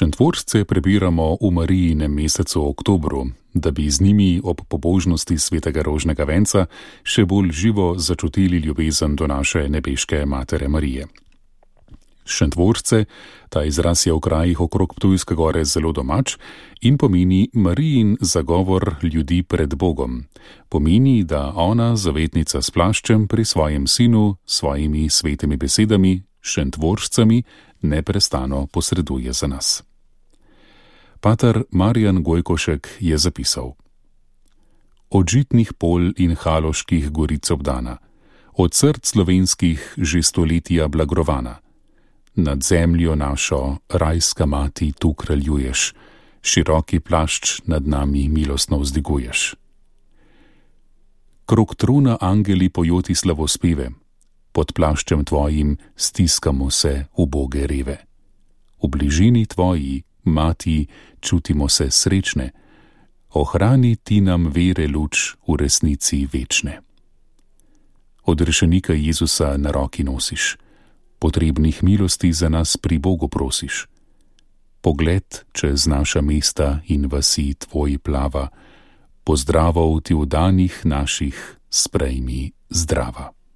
Šentvoržce prebiramo v Marijinem mesecu oktobru, da bi z njimi ob pobožnosti svetega rožnega venca še bolj živo začutili ljubezen do naše nebeške Matere Marije. Šentvoržce, ta izraz je v krajih okrog Ptujske gore zelo domač in pomeni Marijin zagovor ljudi pred Bogom. Pomeni, da ona, zavetnica s plaščem, pri svojem sinu, svojimi svetimi besedami, Šentvoržcami, neprestano posreduje za nas. Pater Marjan Gojkošek je zapisal: Od žitnih polj in haloških goric obdana, od src slovenskih že stoletja blagrovana, nad zemljo našo, rajska mati, tu kraljuješ, široki plašč nad nami milostno vzdiguješ. Krog trona angeli pojoti slavospeve, pod plaščem tvojim stiskamo se uboge reve. V bližini tvoji, mati, čutimo se srečne, ohrani ti nam vere luč v resnici večne. Odrešenika Jezusa na roki nosiš, potrebnih milosti za nas pri Bogu prosiš. Pogled čez naša mesta in vasi tvoj plava, pozdravov ti v danih naših sprejmi zdrava.